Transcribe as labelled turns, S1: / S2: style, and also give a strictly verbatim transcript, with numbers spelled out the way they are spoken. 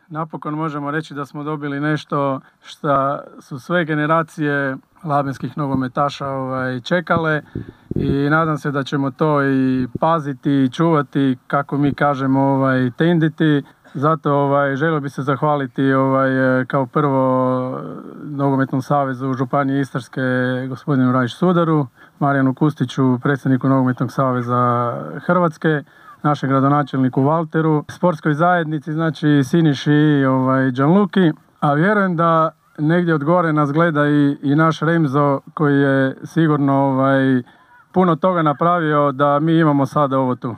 S1: napokon možemo reći da smo dobili nešto što su sve generacije labenskih nogometaša ovaj, čekale i nadam se da ćemo to i paziti i čuvati, kako mi kažemo, ovaj, tenditi. Zato ovaj, želio bi se zahvaliti ovaj, kao prvo Nogometnom savezu Županije Istarske, gospodinu Rajić Sudaru, Marijanu Kustiću, predsjedniku Nogometnog saveza Hrvatske, našem gradonačelniku Valteru, sportskoj zajednici, znači Siniši i ovaj, Gianluki, a vjerujem da negdje od gore nas gleda i, i naš Remzo koji je sigurno ovaj, puno toga napravio da mi imamo sada ovo tu.